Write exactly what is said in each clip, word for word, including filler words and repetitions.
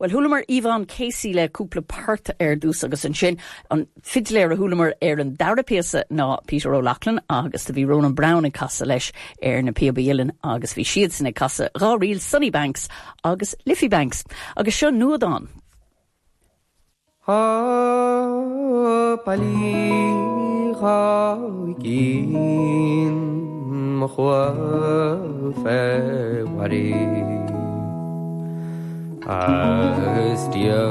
Well chualamar Yvonne Casey le cúpla port ar dtús agus ansin an fidléir a chualamar ar an dara píosa ná Peter O'Loughlin agus do bhí Ronan Browne ag casadh leis ar na píobaí uilleann agus bhí siad sin ag casadh dhá ríl Sunny Banks agus Liffey Banks agus seo nuadán. Tá pailí dhá gcinn mo chumha fé mharaí Agus Dia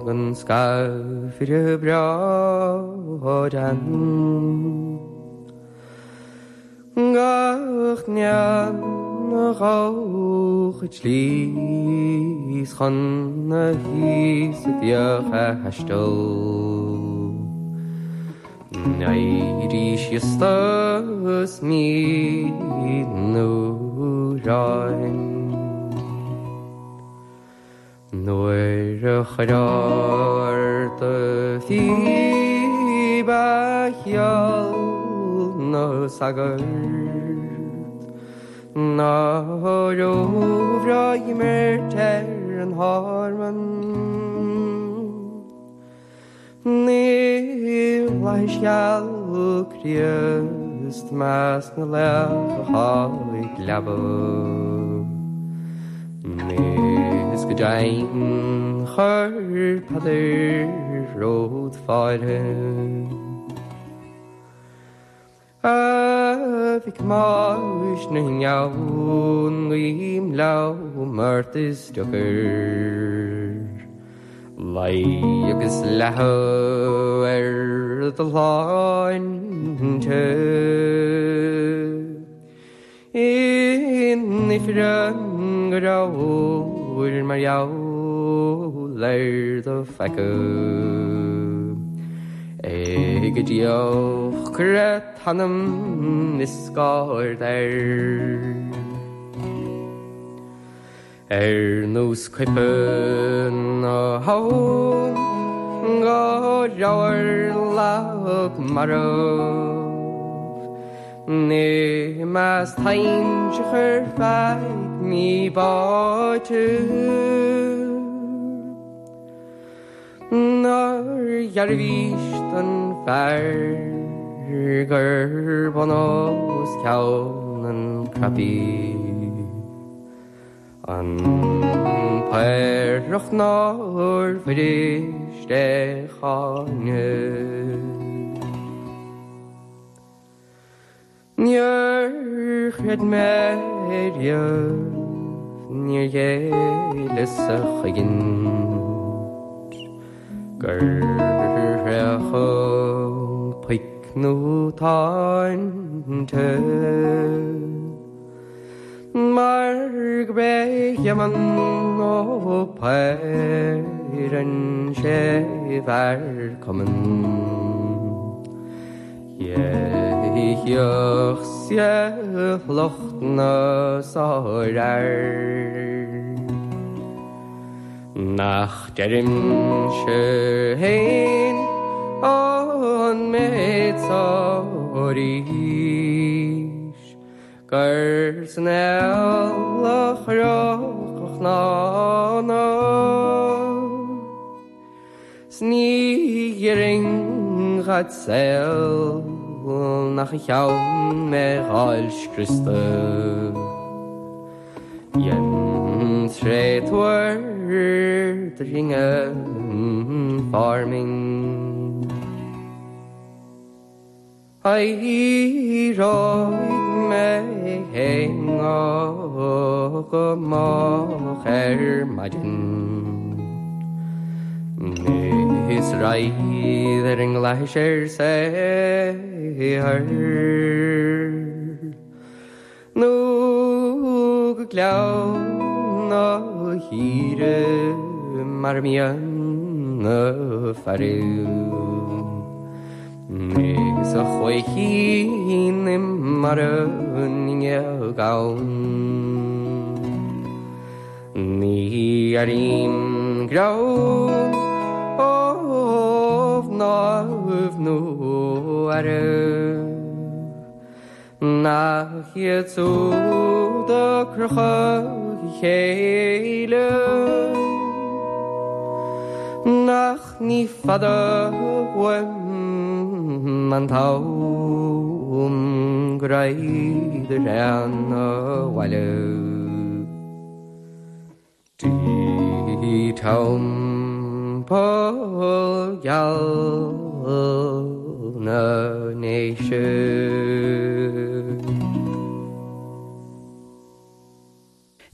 gan scaifire breá dean Gach nean a ghabhadh tslí chun na híosa bheadh a thaisteal. Éirí síos is mín uaráin. Nuair a chuirear do phíb a cheol na sagart Ná róbhreá imirt ar an harman Níl leithscéal Críost measc na laoch atá ag leaba. Is go deimhin chuir Peadar ród fáilte. A mhic Mháis na nGeann guím liom ort is deocair. Luí agus leathadh ar do shláinte. In ifreann go rabhair mar gheall ar do pheaca. Ag deoch cuireadh t-anam is scáir air. Ar nós coipe na habhann go rabhair lag marbh. Ní más táin chur feidh mí báite. Nár dhearbhaís don fear gur bun os cionn an crappie. An paorach nár bhris é cháineadh. Níor chreid mé riamh, níor ghéilleas a chogaint gur thréachadh poic nó táinte. Mar go b'é Éamonn Ó Paor an séú fear cumainn. Dhéitheach sé lucht na sárfhear. Nach deirimse féin an méid so arís gur san fheoil a chroch a chnámha. 'S ní ghéillfinn dhad saol nach a cheann mé dh'fháil scriosta. Dhein tréatúr dringean farming. Éireoidh mé féin go moch ar maidin. Is raghaidh ar an gclais ar saothar. Nó go gleann na hÍre mar a mbíonn na fearaibh. Is a choíchin i mbarr an fhuinneog ann. Ní airím greann ó mhnáibh nó fhearaibh. Nach iad siúd a crochadh chéile Nach ní fada uaim an t-am go raghainn abhaile Dtí teampall geal na nDéise.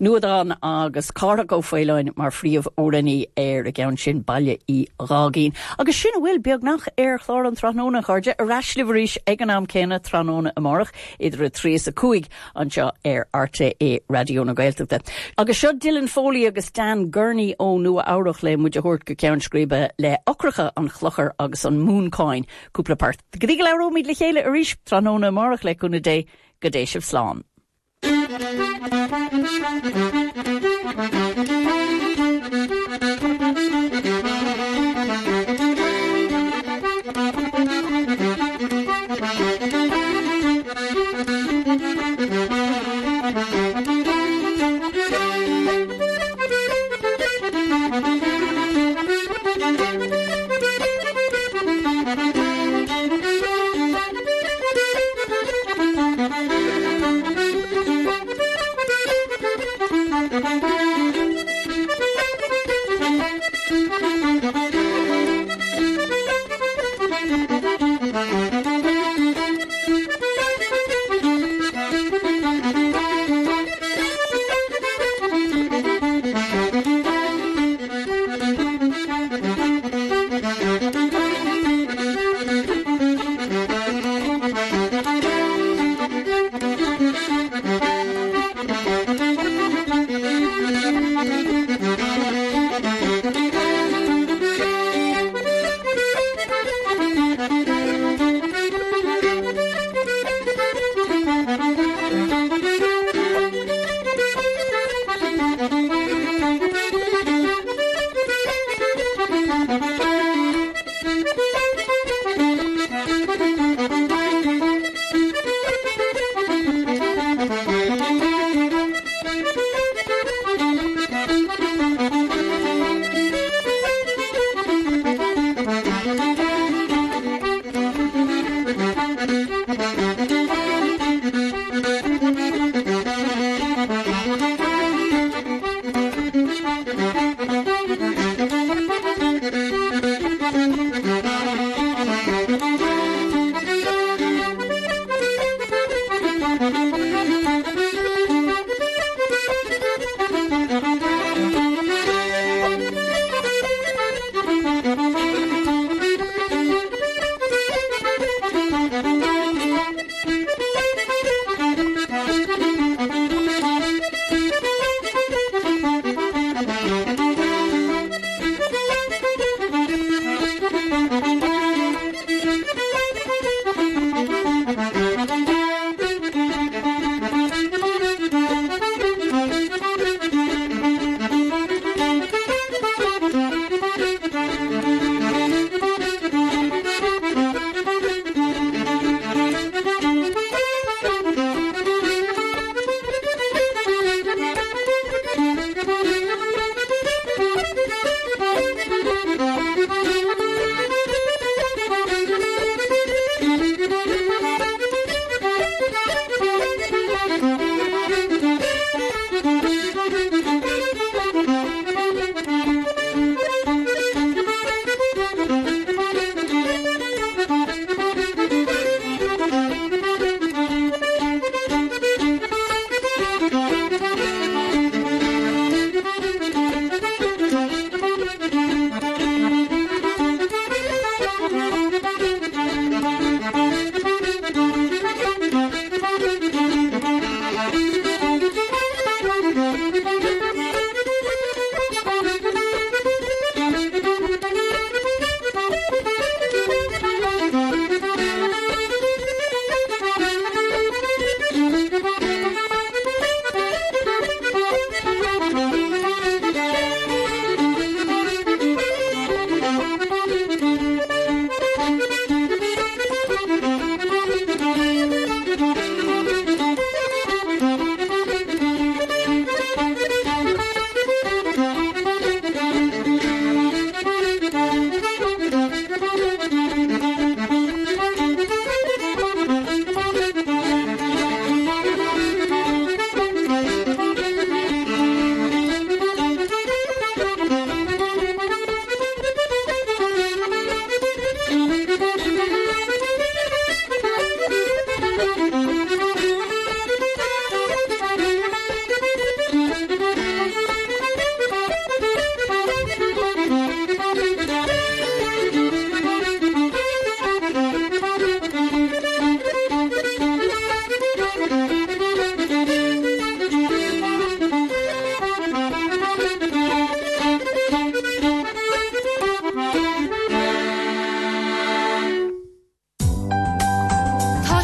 Nuadán agus Cárthach Ó Faoláin mar phríomhamhránaí ar an gceann sin Baile Uí Gháigín. Agus sin a bhfuil beagnach ar chlár an tráthnóna a chairde ar ais libh arís ag an am céanna tráthnóna amárach idir a trí is a cúig anseo ar RTÉ Raidió na Gaeltachta. Agus seo Dylan Foley agus Dan Gurney ó Nua Eabhrac le muid a thabhairt go ceann scríbe le Eochracha an Chlochair agus an Mhúncáin cúpla port. Go dtí go labhróimid le chéile arís tráthnóna amárach le cúnamh Dé go dté sibh slán. Thank you.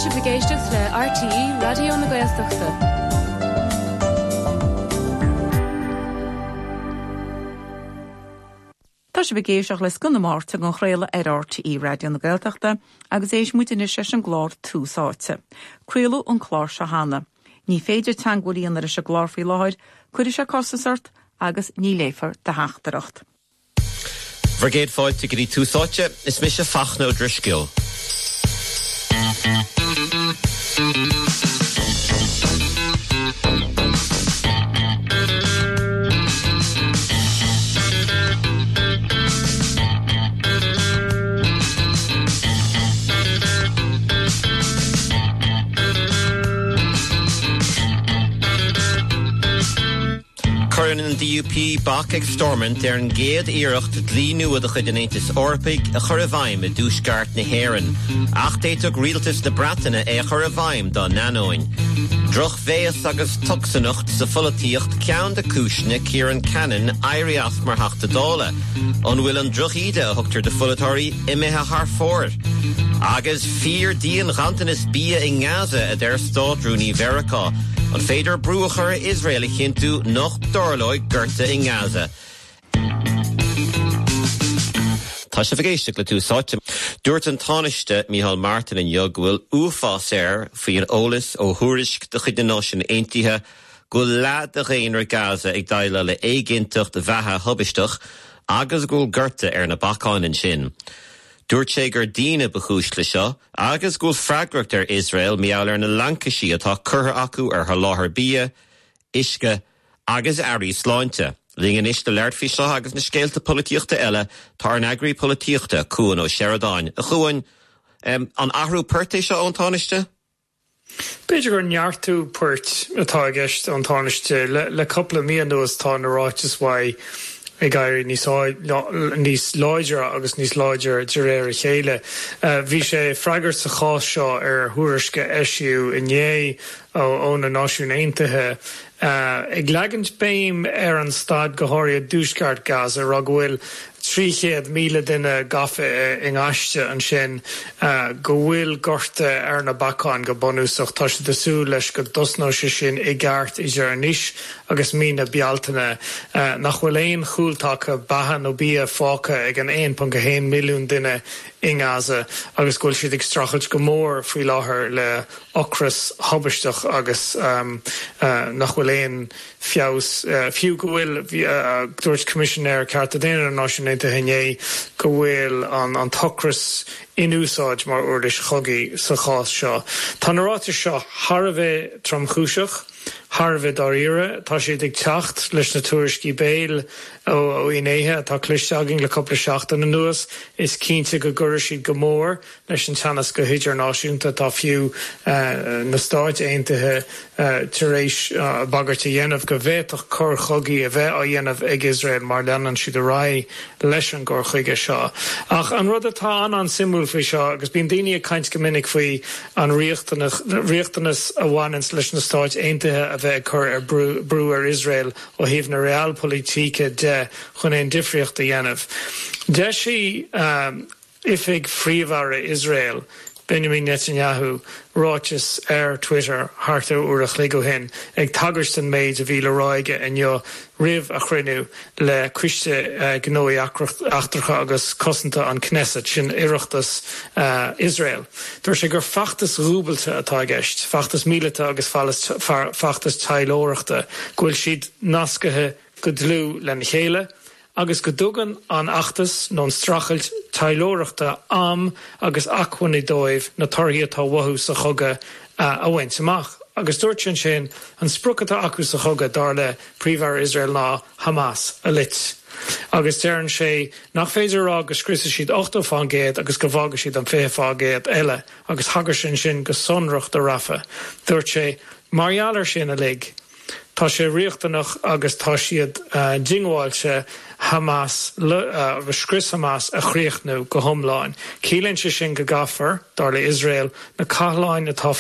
sibh ag éisteacht le RTÉ Raidió na Gaeltachta. Tá sibh ag éisteacht le Scoth na Máirt á chraoladh ar RTÉ Raidió na Gaeltachta agus éist muid anois leis an gclár Tús Áite. Craoladh an clár seo cheana. Ní féidir teagmháil a dhéanamh leis an gclár faoi láthair, cuirfidh sé costas ort agus ní léifear do theachtaireacht. Bhur gcéad fáilte go dtí Tús Áite is mise Fachtna Ó Drisceoil. Cuireann an DUP bac ag Stormont ar an gcéad iarracht dlí nua de chuid an Aontais Eorpaigh a chur i bhfeidhm i dtuaisceart na hÉireann. Ach d'fhéadfadh rialtas na Breataine é a chur i bhfeidhm dá n-ainneoin. Drochbhéas agus tocsaineacht sa pholaitíocht ceann de chúiseanna Ciarán Cannon éirí as mar Theachta Dála. An bhfuil an drochíde a thugtar do pholaiteoirí imithe thar fóir. Agus fíor-dhian-ghanntanas bia i nGaza a deir Státrúnaí Mheiriceá. An féidir brú a chur ar Iosrael a chinntiú nach dtarlóidh gorta i nGaza. Tá sibh ag éisteacht le Tús Áite. Dúirt an Tánaiste Micheál Martin inniu go bhfuil uafás air faoin eolas ó thuairisc de chuid na Náisiún Aontaithe go bhfuil leath de dhaonra Gaza ag déileáil le éiginnteacht bheatha thubaisteach agus go bhfuil gorta ar na bacáin ansin. Dúirt sé gur daoine ba chúis le seo agus go bhfuil freagracht ar Iosrael mar gheall ar na laincisí atá curtha acu ar sholáthar bia, uisce agus earraí sláinte. Linn anois le labhairt faoi seo agus na scéalta polaitíochta eile tá ár n-eagraí polaitíochta Cuan Ó Seireadáin. A Chuain um, an athrú poirt é seo ón Tánaiste? B'fhéidir gur neartú poirt atá i gceist ón Tánaiste le, le cúpla mí anuas tá na ráitis uaidh ag éirí níos níos láidre agus níos láidre de réir a chéile. Bhí sé ag freagairt sa chás seo ar thuairisc a eisíodh inné ó na Náisiúin Aontaithe. Uh, ag leagan béim ar an staid go háirithe i dtuaisceart Gaza rá go bhfuil trí chéad míle duine gafa i ngaiste ansin uh, go bhfuil gorta ar na bacáin go bunúsach tá siad ag súil leis go dtosnóidh sé sin i gceart idir anois agus mí na Bealtaine uh, nach bhfuil aon chúltaca beatha nó bia fágtha ag an aon ponc a haon milliún duine i nGaza agus go bhfuil siad ag streachailt go mór faoi láthair le ocras tubaisteach agus um, uh, nach bhfuil aon feabhas uh, fiú go bhfuil uh, dúirt Coimisinéir Cearta Daonna na Náisiún Aontaithe inné go bhfuil an, an t-ocras in úsáid mar uirlis chogaidh sa chás seo. Tá na ráitis seo thar a bheith tromchúiseach, thar a bheith dáiríre, tá siad ag teacht leis na tuairiscí béil ó ó fhinnéithe atá cloiste againn le cúpla seachtain anuas, is cinnte go gcuirfidh siad go mór leis an teannas go hidirnáisiúnta tá fiú uh, na Stáit Aontaithe uh, tar éis uh, bagairt a dhéanamh go bhféadfadh coir chogaidh a bheith á dhéanamh ag Iosrael má leanann siad ar aghaidh leis an gcur chuige seo. Ach an rud atá an an-suimiúil faoi seo agus bíonn daoine ag caint go minic faoi an riachtanas a bhaineann leis na Stáit Aontaithe a bheith ag cur ar brú, brú ar Iosrael ó thaobh na realpolitik de chun aon difríocht a dhéanamh. D'eisigh um, oifig Phríomh-Aire Iosrael Benjamin Netanyahu ráiteas ar Twitter thart ar uair a chloig ó shin ag tagairt don méid a bhí le rá aige inniu roimh a chruinniú le coiste uh, gnóthaí eachtracha agus cosanta an Knesset sin Oireachtas uh, Iosrael. Dúirt sé gur feachtas dúbailte atá i gceist, feachtas míleata agus feachtas taidhleoireachta, go bhfuil siad nasctha go dlúth lena chéile, agus go dtugann an feachtas nó an streachailt taidhleoireachta am agus acmhainní dóibh na torthaí atá uathu sa chogadh a bhaint amach. Agus dúirt sé sin an sprioc atá acu sa chogadh dar le Príomh-Aire Iosrael ná Hamas a loit. Agus deireann sé nach féidir rá go scriosfaidh siad ochtó faoin gcéad agus go bhfágfaidh siad an fiche faoin gcéad eile, agus thagair sé sin go sonrach do Rafah. Dúirt sé mar gheall air sin uilig. Tá sé riachtanach agus tá siad uh, diongbháilte Hamas uh, agus scrios Hamas a chríochnú go hiomlán. Ciallaíonn sé sin go gcaithfear dar le Iosrael na cathláin atá